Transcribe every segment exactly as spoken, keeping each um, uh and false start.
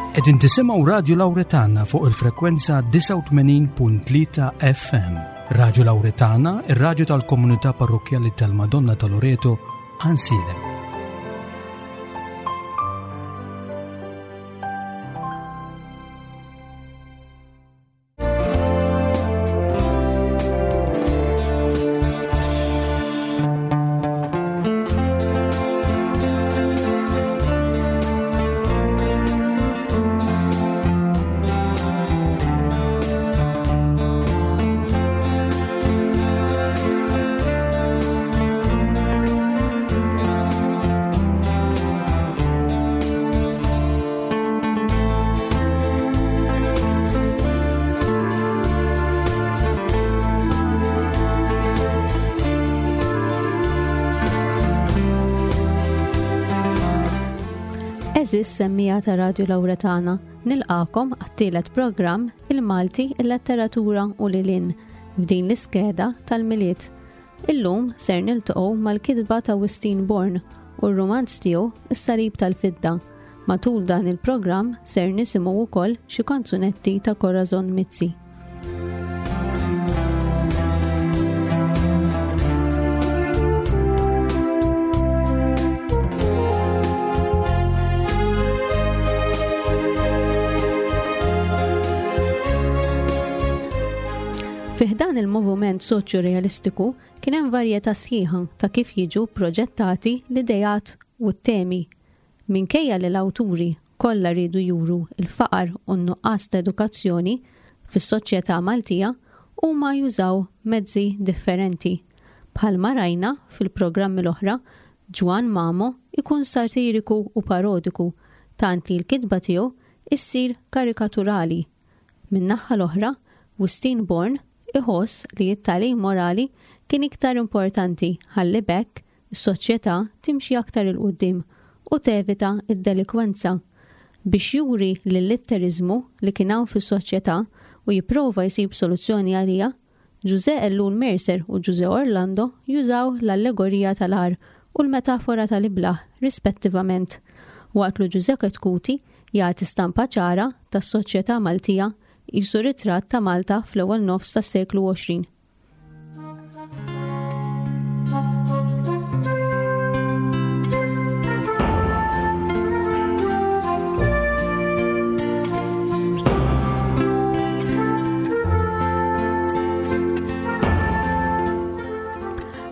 Qegħdin tisimgħu Radio Lauretana fuq il-frekwenza disgħa u tmenin punt tlieta F M. Radio Lauretana, ir-radju tal-Komunità Parrokkjali tal-Madonna ta' Loreto, Għajnsielem. Għeżież semmija ta' Radio Lauretana, nilqakom għat-tielet programm Il-Malti, il-Letteratura u Lilin f'din l-iskeda tal-Milied. Illum ser niltaqgħu mal-kitba ta' Wistin Born u r-rumanz tiegħu Is-Salib tal-Fidda. Matul dan il-programm ser nisimgħu wkoll xi kanzunetti ta' Corazon Mizzi. Fi ħdan il-moviment soċjo-realistiku kien hemm varjetà sħiħa ta' kif jiġu proġettati l-idejat u t-temi. Minkejja li l-awturi kollha riedu juru l-faqar u n-nuqqas ta' edukazzjoni fis-soċjetà Maltija, huma jużaw mezzi differenti. Bħalma rajna fil-programmi l-oħra, Ġwann Mamo ikun satiriku u parodiku, tant li l-kitba tiegħu issir karikaturali. Min-naħa l-oħra, Wistin Born iħoss li t-tagħlim morali kien iktar importanti ħalli b'hekk is-soċjetà timxi aktar 'il quddiem u tevita d-delikwenza. Biex juri l-litteriżmu li kien hawn fis-soċjetà u jipprova jsib soluzzjoni għaliha, Ġużè Ellul Mercer u Ġużè Orlando jużaw l-allegorija tal-għar u l-metafora tal-iblah rispettivament, waqt li Ġużè Chetcuti jagħti stampa ċara tas-soċjetà Maltija qisu ritratt ta' Malta fl-ewwel nofs tas-seklu għoxrin.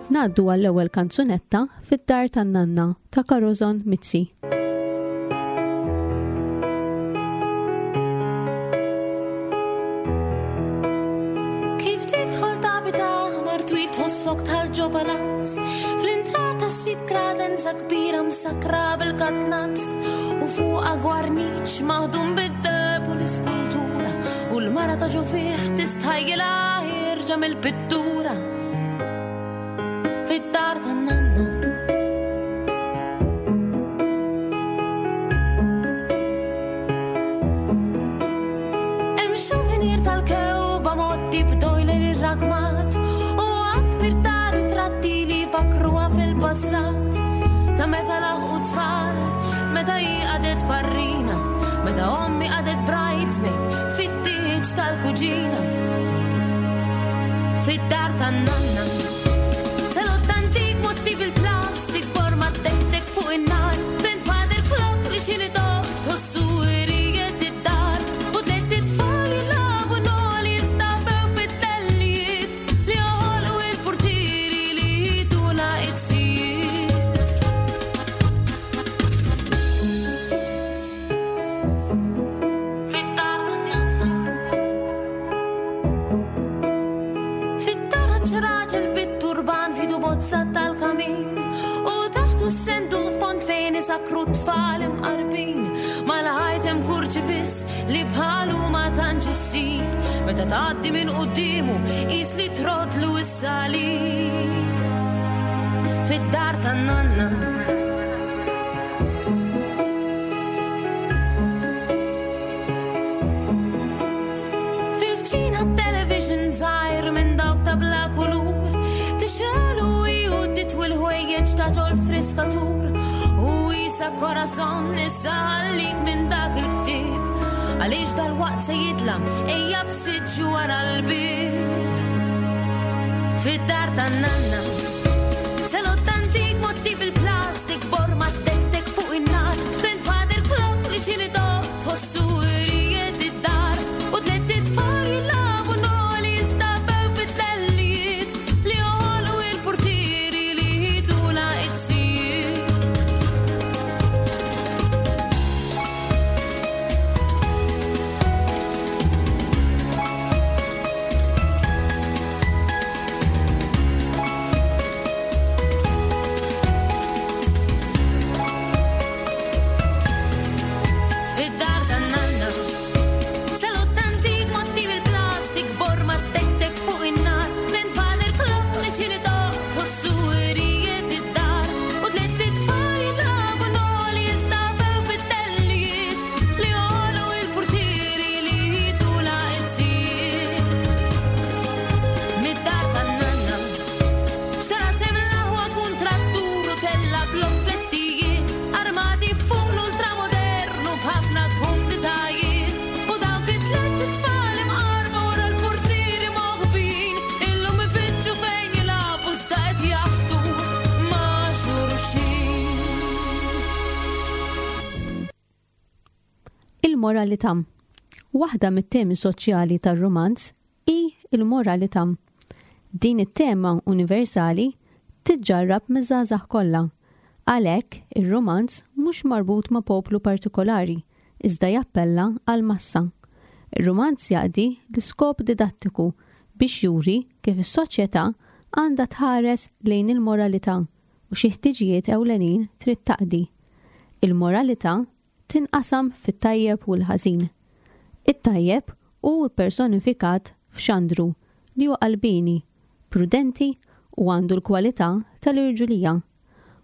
Ngħaddu għall-ewwel kanzunetta Fid-Dar tan-Nanna ta' Corazon Mizzi. Kif tidħol tabit aħmar twil tħossok tal-ġobalazz, fl-intrata ssib kredenza kbira msakra bil-katnazz, u fuqha gwarniċ maħdum bid-deheb u l-iskultura, u l-mara ta' ġo fih tistħajjilha ħierġa mill-pittura. Fid-dar tan-nanna. Hemm xuvenier tal-kewba motti b'dojler irrakmat, u għad kbir ta' ritratti li fakruha fil-passat, ta' meta laħqu tfal, meta hi qagħdet parrina, meta ommi qagħdet bridesmaid fit-tieġ tal-kuġina. Fid-dar tan-nanna. Salott antik motti bil-plastik, borma tektek fuq in-nar, grandfather clock li xini dok tħossu irijiet id-dar, u tliet itfal jilagħbu noli jistabew fit-tellijiet li joħolqu il-portieri li jituna it-sijiet. Fid-dar tan-nanna. Fid-dar ħaġ raġel bit-turban fidu bozza tal-kamin, u taħtu s-senduq fond fejn isakru tfal imqarbin, mal-ħajt hemm kurċifiss li bħalu ma tantx issib, meta tgħaddi minn quddiemu qis li trodlu s-salib. Fid-dar tan-nanna. Fil-kċina television żgħir minn dawk ta' bla kulur, tixgħelu hi u titwi l-ħwejjeġ ta' ġol friskatur, u jisa ta' corazon, issa ħallik minn dak il-ktieb, għaliex dal-waqt se jidlam, ejja b'siġġu wara l-bieb. Fid-dar tan-nanna, salott antik motti bil-plastik, borma tek-tek fuq in-nar, grandfather clock li xini doq, tħossu irijiet id-dar, u tliet itfal jilagħbu noli jistabew fit-tellijiet, li joħolqu il-portieri li jidula iksijiet. Fid-dar tan-nanna, salott antik motti bil-plastik, borma tek-tek fuq in-nar, grandfather clock li xini doq, tħossu irijiet id-dar, u tliet itfal jilagħbu noli jistabew fit-tellijiet, li joħolqu il-portieri li jidula iksijiet. Mid-dar tan-nanna, xtara sem l-aħwa kuntrattur u tella blok flettijiet, armati fuq l-ultramodernu b'ħafna kumditajiet, u dawk it-tliet itfal imqarba wara l-portieri moħbin, illum ifittxu fejn jilagħbu iżda qed jaħbtu ma' xulxin. Il-moralità. Waħda mit-temi soċjali tar-rumanz hi il-moralità. Din it-tema universali tiġġarrab miż-żgħażagħ kollha. Għalhekk ir-rumanz mhux marbut ma' poplu partikolari, iżda jappella għal massa. Ir-rumanz jaqdi l-iskop didattiku biex juri kif is-soċjetà għandha tħares lejn il-moralità u xi ħtiġijiet ewlenin trid taqdi. Il-moralità tinqasam fit-tajjeb u l-ħażin. It-tajjeb hu ppersonifikat f'Xandru li hu qalbini, prudenti u għandu l-kwalità tal-irġulija.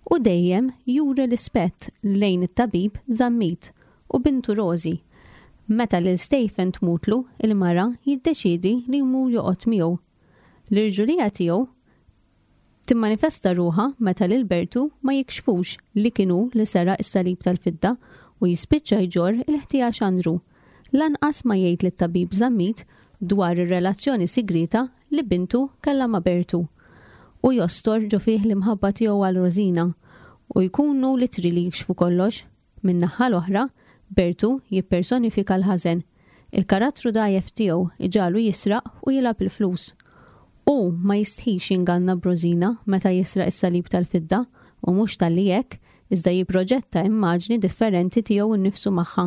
U dejjem juri rispett lejn it-tabib Zammit u bintu Rosi. Meta lil Stephen tmutlu, il-mara jiddeċiedi li jmur joqgħod miegħu. L-irġulija tiegħu timmanifesta ruħha meta lil Bertu ma jikxfux li kienu li seraq is-salib tal-fidda u jispiċċa jġorr il-ħtija Xandru. Lanqas ma jgħid lit-tabib Zammit dwar ir-relazzjoni sigrita li bintu kellha ma' Bertu. U jostor ġo fih l-imħabba tiegħu għal Rosina u jkunu litri li jikxfu kollox. Min-naħa l-oħra, Bertu jippersonifika l-ħażen. Il-karattru dgħajjef tiegħu iġalu jisraq u jilgħab il-flus. U ma jistħix jinganna b'Rosina meta jisraq is-salib tal-fidda u mhux talli hekk, iżda jipproġetta immaġni differenti tiegħu nnifsu magħha.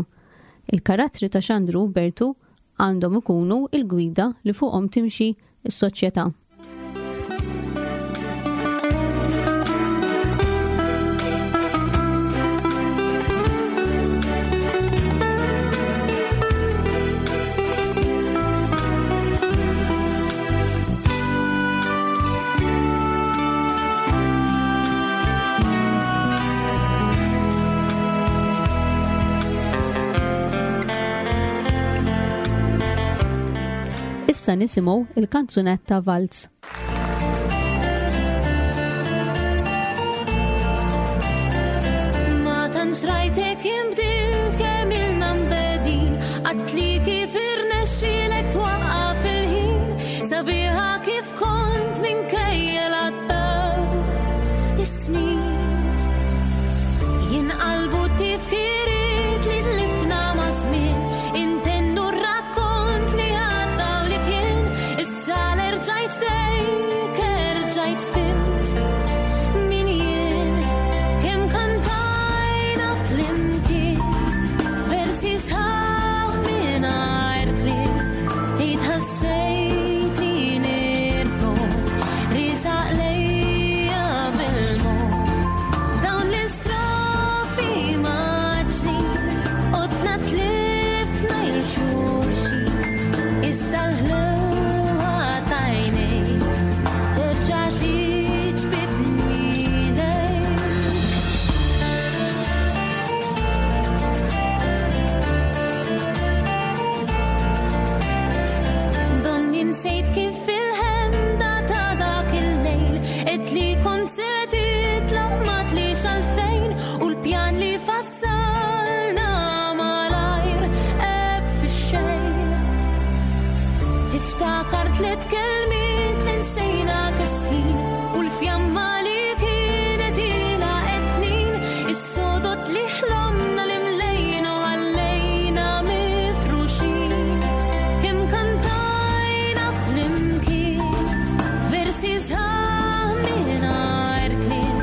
Il-karattri ta' Xandru u Bertu għandhom ikunu il-gwida li fuqhom timxi s-soċjetà. Issa nisimgħu il-kanzunetta Valz. Ma tantx rajtek imbdilt kemm ilna mbedin, għadtli kif irnexxielek twaqqaf il-ħin, sabiħa kif kont minkejja l-għaddew is-snin. Jinqalbu tifkiriet li tlifna ma' żmien, intennu r-rakkont li għadda u li kien, issa l-erġajt dejk, erġajt fimt min jien, kemm kantajna flimkien, versi sħaħ mingħajr kliem, itħassejtni nirbot, risaq lejja bil-mod. F'dawn l-istrofi maġni, Tliet kelmiet li nsejna kesħin u l-fjamma li kienet ilha qed is-sodod li ħlomna li mlejna u għallejna mifruxin. Kemm kantajna flimkien versi sħaħ mingħajr kliem,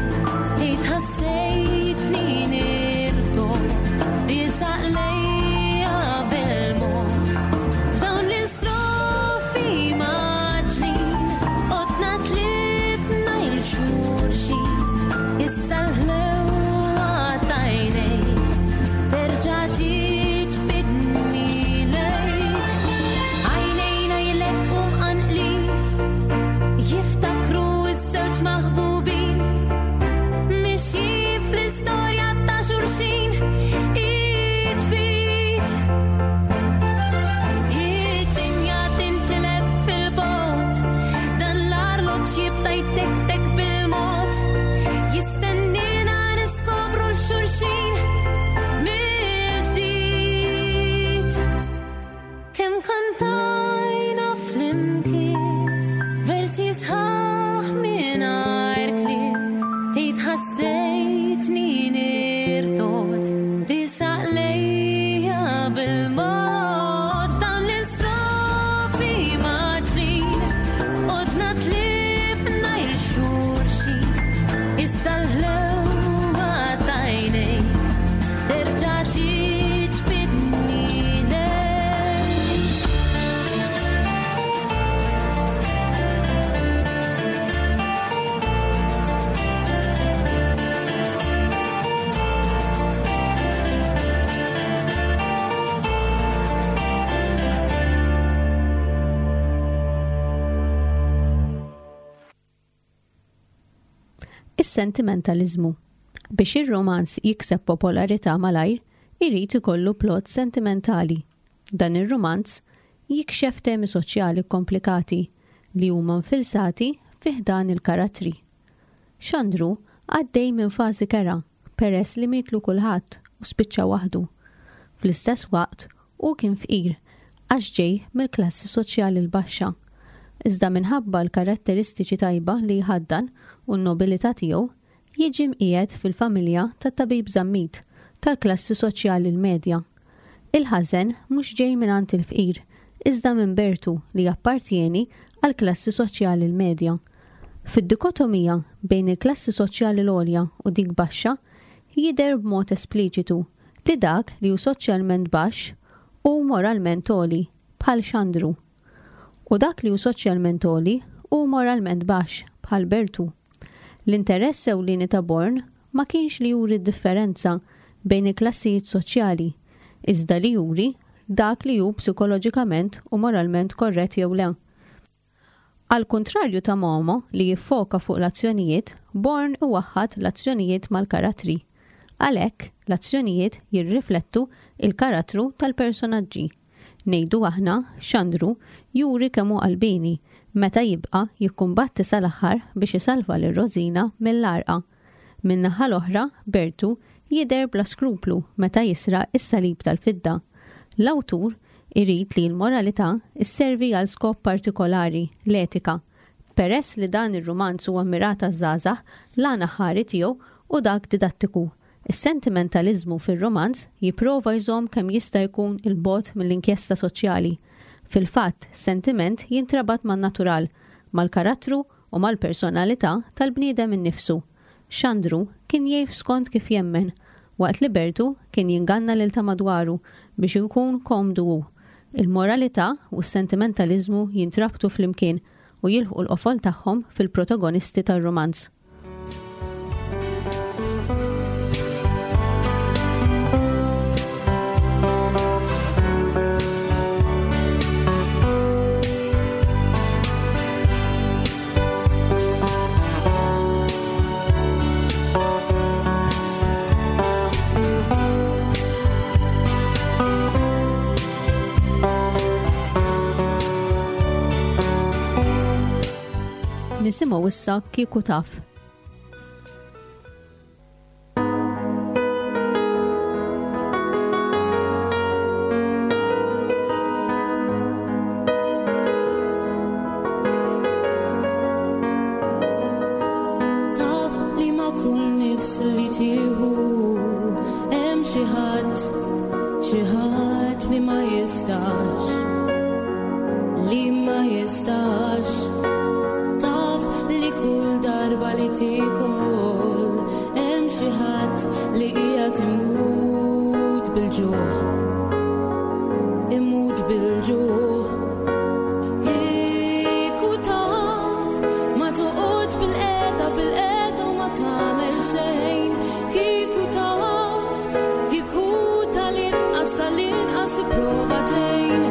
tgħid ħassejtni nirtogħod riesaq lejja bil-mod. F'dawn l-istrofi mgħaġġlin qotna tlifna 'l xulxin, issa l-ħlewwa t'għajnejk terġa' tiġbidni lejk. Għajnejna jleqqu mqanqlin, jiftakru ż-żewġ maħbubin, mixjin fl-istorja ta' xulxin, id f'id. Id-dinja tintilef fil-bogħod, dan l-arloġġ jibda jtektek bil-mod, jistennina niskopru 'l xulxin mill-ġdid. Kemm kantajna flimkien versi sħaħ mingħajr kliem, tgħid ħassejtni nirtogħod riesaq lejja bil-mod. F'dawn l-istrofi mgħaġġlin qotna tlifna 'l xulxin, iżda l-ħlewwa t'għajnejk terġa' tiġbidni lejk. Is-sentimentaliżmu. Biex ir-romanz jikseb popolarità malajr, irid ikollu plot sentimentali. Dan ir-romanz jikxef temi soċjali komplikati li huma nfilsati fi ħdan il-karattri. Xandru għaddej minn fażi kerha peress li mietlu kulħadd u spiċċa waħdu. Fl-istess waqt hu kien fqir għax ġej mill-klassi soċjali l-baxxa. Iżda minħabba l-karatteristiċi tajba li jħaddan u n-nobilità tiegħu, jiġi mqiegħed fil-familja tat-tabib Zammit tal-klassi soċjali l-medja. Il-ħażen mhux ġej mingħand il-fqir, iżda minn Bertu li jappartjeni għall-klassi soċjali l-medja. Fid-dikotomija bejn il-klassi soċjali l-għolja u dik baxxa, jidher b'mod espliċitu li dak li hu soċjalment baxx hu moralment għoli, bħal Xandru, u dak li hu soċjalment għoli hu moralment baxx, bħal Bertu. L-interess ewlieni ta' Born ma kienx li juri d-differenza bejn il-klassijiet soċjali, iżda li juri dak li hu psikoloġikament u moralment korrett jew le. Al kuntrarju ta' Momo li jiffoka fuq l-azzjonijiet, Born iwaħħad l-azzjonijiet mal-karattri. Għalhekk, l-azzjonijiet jirriflettu il-karattru tal-personaġġi. Ngħidu aħna, Xandru juri kemm hu qalbini meta jibqa' jikkumbatti sal-aħħar biex isalva lil Rosina mill-għarqa. Min-naħa l-oħra, Bertu jidher bla skruplu meta jisraq is-salib tal-fidda. L-awtur irid li l-moralità sservi għal skop partikolari, l-etika. Peress li dan ir-rumanz huwa mmirat għaż-żgħażagħ, l-għan aħħari tiegħu u dak didattiku. Is-sentimentaliżmu fir-romanz jipprova jżomm kemm jista' jkun il-bogħod mill-inkjesta soċjali. Fil-fatt, sentiment jintrabat man-natural, mal-karattru u mal-personalità tal-bniedem innifsu. Xandru kien jgħix skont kif jemmen, waqt li Bertu kien jinganna lil ta' madwaru biex ikun komdu hu. Il-moralità u s-sentimentaliżmu jintrabtu flimkien u jilħqu l-qofol tagħhom fil-protagonisti tar-romanz. Nisimgħu issa Kieku Taf. ħadd li qiegħed imut bil-ġuħ, imut bil-ġuħ. Kieku taf ma toqgħodx bil-qiegħda bil-qiegħda u ma tagħmel xejn. Kieku taf, kieku tal-inqas tal-inqas tipprova tgħin.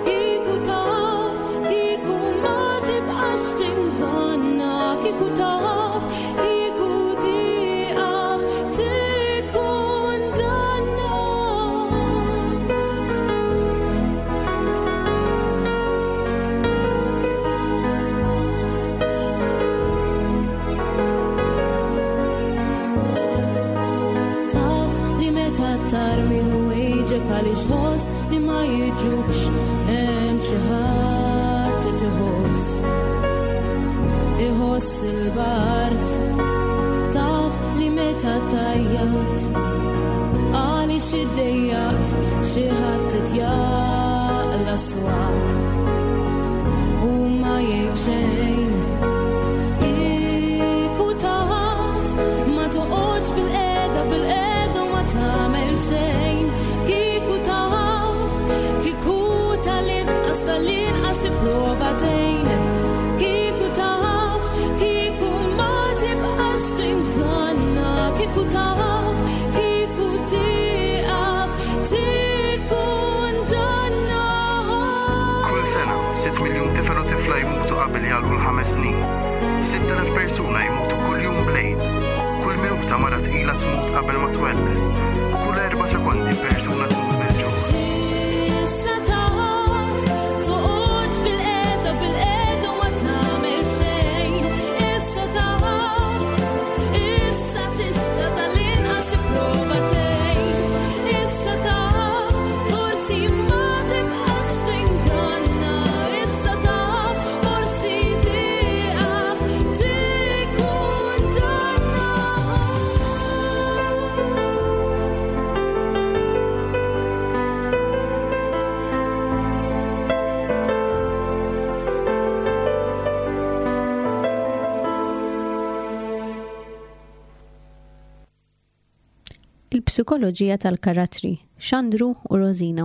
Kieku taf, kieku ma tibqax tinganna. Kieku taf, kieku tieqaf tikkundanna. Taf li meta tarmi ħwejġek għaliex ħoss li ma jiġukx, hemm xi ħadd qed iħoss, iħoss il-bard. Taf li meta tajjat għaliex iddejjaqt, xi ħadd qed jaqla' swat u ma jgħid xejn. Kieku taf ma toqgħodx bil-qiegħda bil-qiegħda u ma tagħmel xejn. Kieku taf, kieku tal-inqas tal-inqas tipprova tgħin. Kieku taf, kieku ma tibqax tinganna. Kieku taf, kieku tieqaf tikkundanna. Kull sena, sitt miljun tifel u tifla jmutu qabel jagħlqu l-ħames snin. Sitt elef persuna jmutu kuljum bl-AIDS. Kull minuta mara tqila tmut qabel ma twelled. U kull erba' sekondi persuna tmut bil-ġuħ. Issa taf, toqgħodx bil-qiegħda bil-qiegħda u ma tagħmel xejn. Issa taf, issa tista' tal-inqas tipprova tgħin. Issa taf, forsi ma tibqax tinganna. Issa taf, forsi tieqaf tikkundanna. Il-psikoloġija tal-karattri, Xandru u Rosina.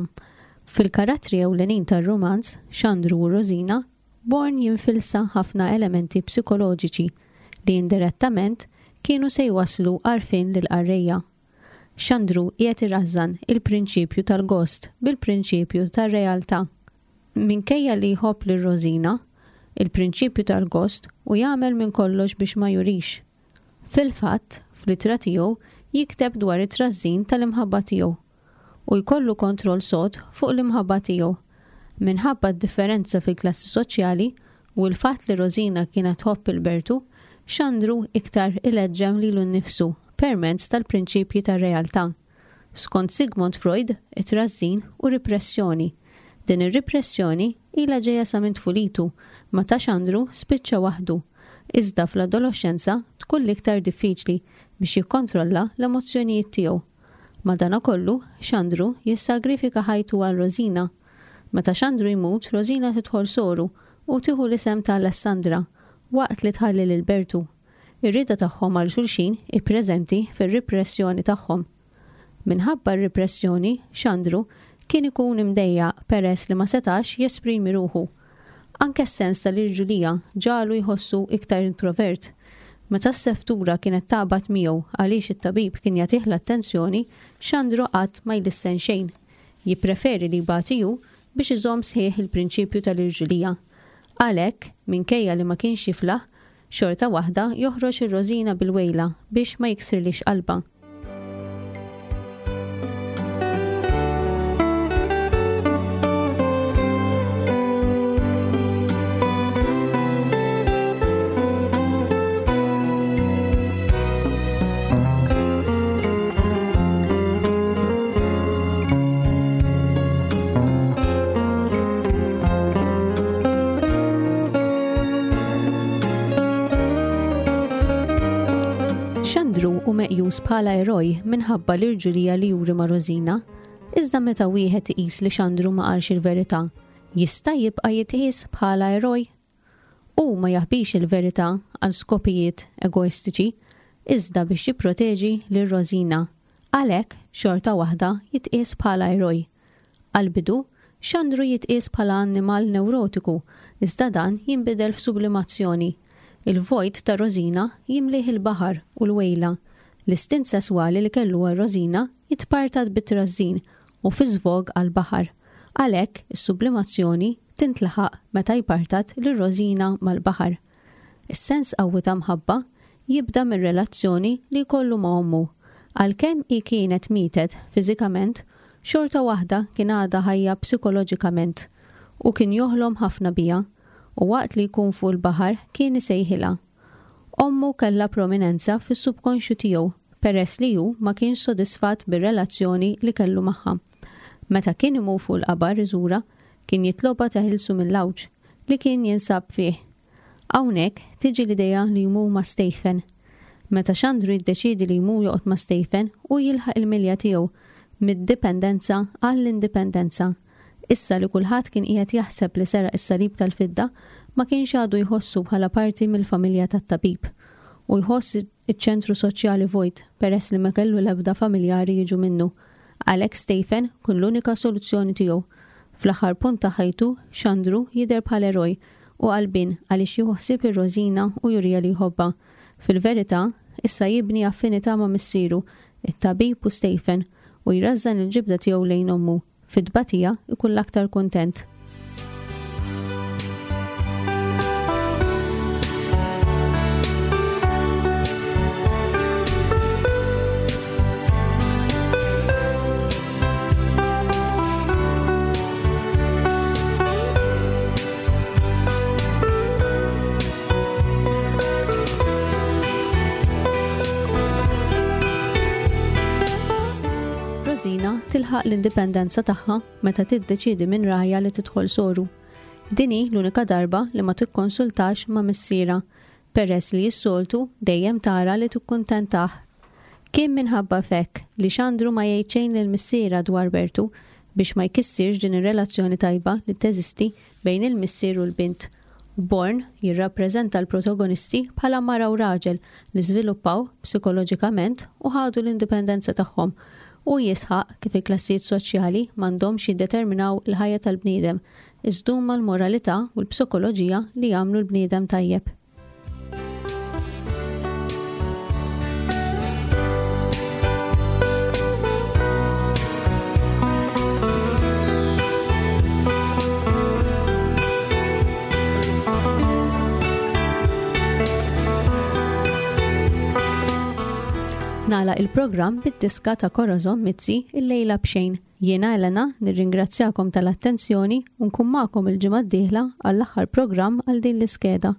Fil-karattri ewlenin tar-romanz, Xandru u Rosina, Born jinfilsa ħafna elementi psikoloġiċi li indirettament kienu se jwaslu għarfien lill-qarrejja. Xandru qiegħed irażżan il-prinċipju tal-gost bil-prinċipju tar-realtà. Minkejja li jħobb lil Rosina, il-prinċipju tal-gost u jagħmel minn kollox biex ma jurix. Fil-fatt, fl-ittra tiegħu jikteb dwar it-trażżin tal-imħabba tiegħu u jkollu kontroll sod fuq l-imħabba tiegħu. Minħabba d-differenza fil-klassi soċjali u l-fatt li Rosina kienet tħobb il-Bertu, Xandru iktar ileġġem lilu nnifsu permezz tal-prinċipji tar-realtà. Skont Sigmund Freud, it-trażżin u repressjoni. Din ir-repressjoni ilha ġejja sa minn tfulitu, ma ta' Xandru spiċċa waħdu. Iżda fl-adolescenza tkun l-iktar diffiċli biex jikkontrolla l-emozzjonijiet tiegħu. Madanakollu, Xandru jissagrifika ħajtu għal Rosina. Meta Xandru jmut, Rosina tidħol soru u tieħu l-isem ta' Alessandra waqt li tħalli lil Bertu. Ir-rieda tagħhom għal xulxin hi preżenti fir-repressjoni tagħhom. Minħabba r-repressjoni, Xandru kien ikun imdejjaq peress li ma setax jesprimi ruħu. Anke s-sens tal-irġulija ġalu jħossu iktar introvert. Meta s-seftura kienet taqbad miegħu għaliex it-tabib kien jagħtih l-attenzjoni, Xandru qatt ma jlissen xejn. Jippreferi li jbati hu biex iżomm sħiħ il-prinċipju tal-irġulija. Għalhekk, minkejja li ma kienx jiflaħ, xorta waħda joħroġ ir-Rosina bil-wejla biex ma jiksirlix qalbha. Xandru hu meqjus bħala eroj minħabba l-irġulija li juri ma' Rosina, iżda meta wieħed iqis li Xandru ma qalx il-verità, jista' jibqa' jitqies bħala eroj? Hu ma jaħbix il-verità għal skopijiet egoistiċi, iżda biex jipproteġi lil Rosina. Għalhekk xorta waħda jitqies bħala eroj. Għal-bidu, Xandru jitqies bħala annimal neurotiku, iżda dan jinbidel f'sublimazzjoni. Il-vojt ta' Rosina jimlih il-baħar u l-wejla. L-istint sesswali li kellu għal Rosina jitpartat bit-trażżin u fi żvog għal-baħar. Għalhekk is-sublimazzjoni tintlaħaq meta jpartat lil Rosina mal-baħar. Is-sens qawwi ta' mħabba jibda mir-relazzjoni li jkollu ma' ommu. Għalkemm hi kienet mietet fiżikament, xorta waħda kien għadha ħajja psikoloġikament u kien joħlom ħafna biha u waqt li jkun fuq il-baħar kien isejħilha. Ommu kellha prominenza fis-subkonxju tiegħu peress li hu ma kienx sodisfatt bir-relazzjoni li kellu magħha. Meta kien imur fuq il-qabar iżura, kien jitlobha teħilsu mill-għawġ li kien jinsab fih. Hawnhekk tiġi l-idea li jmur ma' Stephen. Meta Xandru jiddeċiedi li jmur joqgħod ma' Stephen u jilħaq il-milja tiegħu mid-dipendenza għall-indipendenza. Issa li kulħadd kien qiegħed jaħseb li seraq is-salib tal-fidda, ma kienx għadu jħossu bħala parti mill-familja tat-tabib u jħoss iċ-ċentru soċjali vojt peress li ma kellu l-ebda familjari jiġu minnu. Għalhekk Stephen kun l-unika soluzzjoni tiegħu. Fl-aħħar punt ta' ħajtu, Xandru jidher bħal eroj u qalbin għaliex jieħu ħsieb ir-Rosina u jurija li jħobbha. Fil-verità, issa jibni affinità ma' missieru, it-tabib u Stephen, u jrażżan il-ġibda tiegħu lejn ommu. Fit-tbatija ikun l-aktar kuntent. Rosina tilħaq l-indipendenza tagħha meta tiddeċiedi minn rajha li tidħol soru. Din hi l-unika darba li ma tikkonsultax ma' missiera, peress li s-soltu dejjem tara li tikkuntentah. Kien minħabba f'hekk li Xandru ma jgħid xejn lil missiera dwar Bertu biex ma jkissirx din ir-relazzjoni tajba li teżisti bejn il-missier u l-bint. Born jirrappreżenta l-protagonisti bħala mara u raġel li żviluppaw psikoloġikament u ħadu l-indipendenza tagħhom u jisħaq kif il-klassijiet soċjali m'għandhomx jiddeterminaw il-ħajja tal-bniedem, iżda huma l-moralità u l-psikoloġija li jagħmlu l-bniedem tajjeb. Nagħlaq il-programm bid-diska ta' Corazon Mizzi il-lejla b'xejn. Jiena Elena nirringrazzjakom tal-attenzjoni u nkun magħkom il-ġimgħa d-dieħla għall-aħħar programm għal din l-iskeda.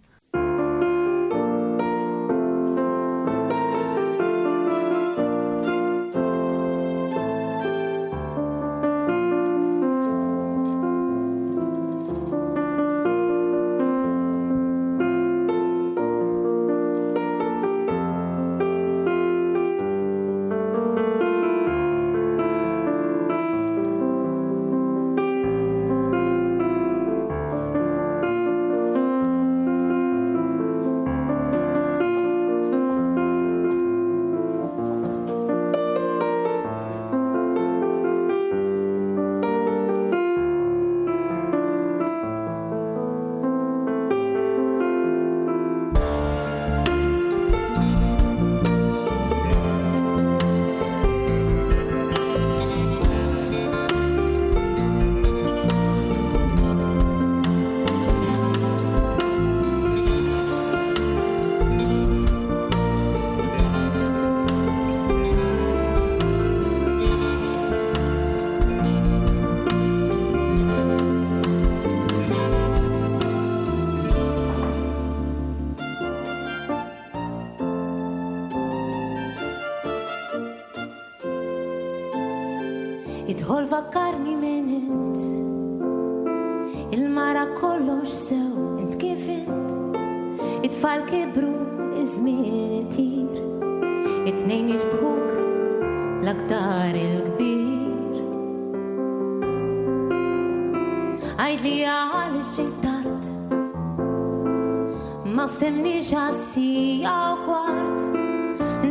Idħol fakkarni minn int, il-mara kollox sew, int kif int. It-tfal kibru, iż-żmien itir, it-tnejn jixbħuk l-aktar il-kbir. Għidli għaliex ġejt tard, ma ftemniex għas-sija u kwart.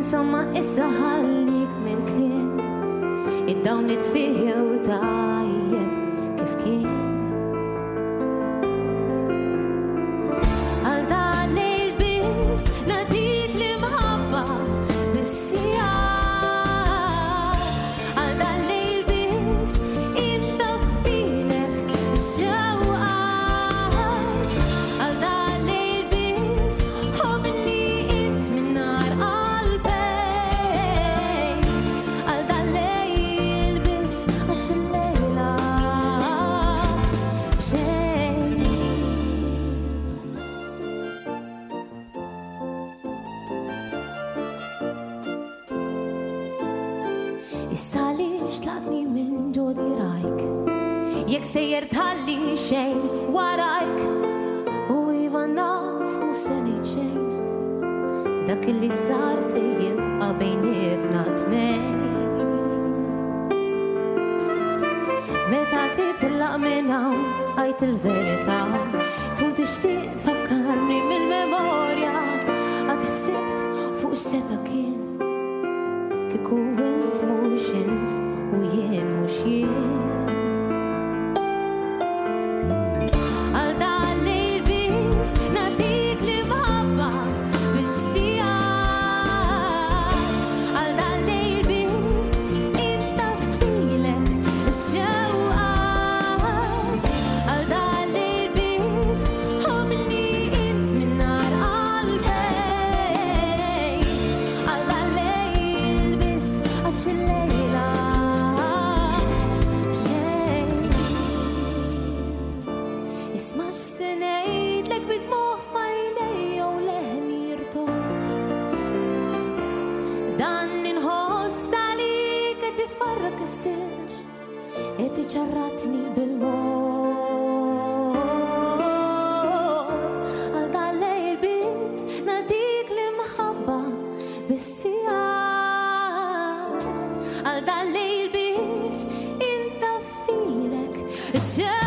Insomma issa ħallik mill-kliem, id-dawl nitfih jew tajjeb kif kien. Għal dan lejl biss nagħtik l-imħabba bis-sigħat. Għal dan lejl biss intaffilek ix-xewqat. Għal dan lejl biss ħobbni int minn nar għalfejn. Għal dan lejl biss għax il-lejla b'xejn. Issa għaliex tlaqtni minn ġo dirajk, jekk sejjer tħalli xejn warajk, u iva naf mhux se ngħid xejn, dak li sar se jibqa' bejnietna tnejn. Meta titlaq minn hawn għajt il-verità, tkun tixtieq tfakkarni mill-memorja, għad ħsibt fuq x'seta' kien, kieku int mhux int u jien mhux jien. Għal dan lejl biss nagħtik l-imħabba bis-sigħat. Għal dan lejl biss intaffilek ix-xewqat. Għal dan lejl biss ħobbni int minn nar għalfejn. Għal dan lejl biss għax il-lejla b'xejn. Isma' x'se ngħidlek bid-dmugħ f'għajnejja u leħni jirtogħod. Dan inħoss għalik qed ifarrak is-silġ, qed iċarratni bil-mod. Għal dan lejl biss nagħtik l-imħabba bis-sigħat. Għal dan lejl biss intaffilek ix-xewqat.